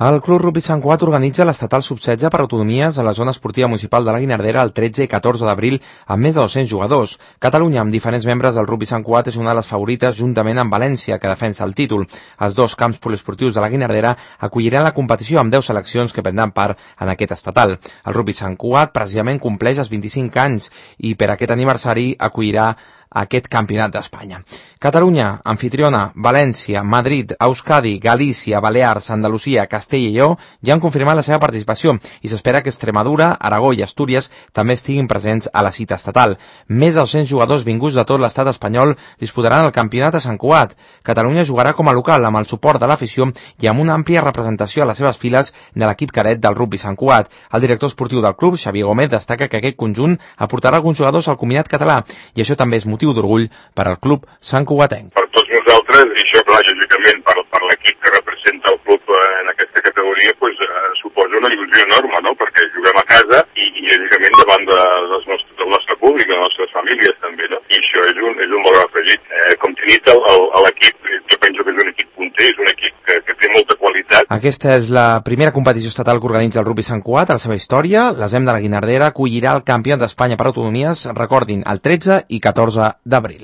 El Club Rugbi Sant Cugat organitza l'estatal sub-16 per autonomies a la zona esportiva municipal de la Guinardera el 13 i 14 d'abril amb més de 200 jugadors. Catalunya, amb diferents membres del Rugbi Sant Cugat, és una de les favorites juntament amb València, que defensa el títol. Els dos camps poliesportius de la Guinardera acolliran la competició amb 10 seleccions que prendran part en aquest estatal. El Rugbi Sant Cugat precisament compleix els 25 anys i per aquest aniversari acollirà aquest campionat d'Espanya. Catalunya, anfitriona, València, Madrid, Euskadi, Galícia, Balears, Andalusia, Castella i Lleó ja han confirmat la seva participació i s'espera que Extremadura, Aragó i Astúries també estiguin presents a la cita estatal. Més de 200 jugadors vinguts de tot l'estat espanyol disputaran el campionat a Sant Cugat. Catalunya jugarà com a local amb el suport de l'afició i amb una àmplia representació a les seves files de l'equip cadet del Rugbi Sant Cugat. El director esportiu del club, Xavier Gómez, destaca que aquest conjunt aportarà alguns jugadors al combinat català i això també és motiu d'orgull per al club santcugatenc. Per tots nosaltres, i això, clar, lògicament, per l'equip que representa el club en aquesta categoria, suposa una il·lusió enorme, no?, perquè juguem a casa i lògicament, davant del nostre públic, de les nostres famílies, també, no?, i això és un valor afegit. Com t'he dit, l'equip, jo penso que és un equip punter, és un equip que té molta qualitat. Aquesta és la primera competició estatal que organitza el Rugbi Sant Cugat a la seva història. L'ASEM de la Guinardera acollirà el campionat d'Espanya per autonomies, recordin, el 13 i 14 d'abril.